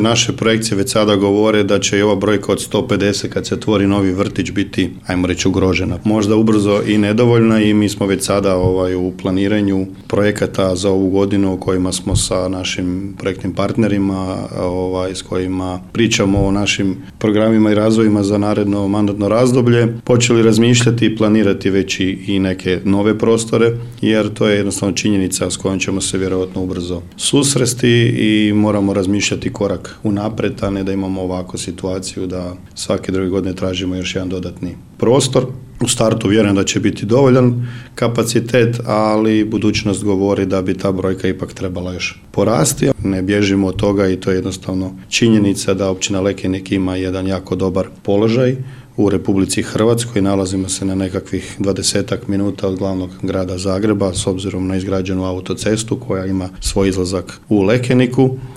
Naše projekcije već sada govore da će i ova brojka od 150 kad se otvori novi vrtić biti, ajmo reći, ugrožena. Možda ubrzo i nedovoljna i mi smo već sada u planiranju projekata za ovu godinu o kojima smo sa našim projektnim partnerima, s kojima pričamo o našim programima i razvojima za naredno mandatno razdoblje, počeli razmišljati i planirati već i neke nove prostore, jer to je jednostavno činjenica s kojom ćemo se vjerojatno ubrzo susresti i moramo razmišljati korak unaprijed, a ne da imamo ovakvu situaciju da svake druge godine tražimo još jedan dodatni prostor. U startu vjerujem da će biti dovoljan kapacitet, ali budućnost govori da bi ta brojka ipak trebala još porasti. Ne bježimo od toga i to je jednostavno činjenica da općina Lekenik ima jedan jako dobar položaj u Republici Hrvatskoj. Nalazimo se na nekakvih 20 minuta od glavnog grada Zagreba s obzirom na izgrađenu autocestu koja ima svoj izlazak u Lekeniku.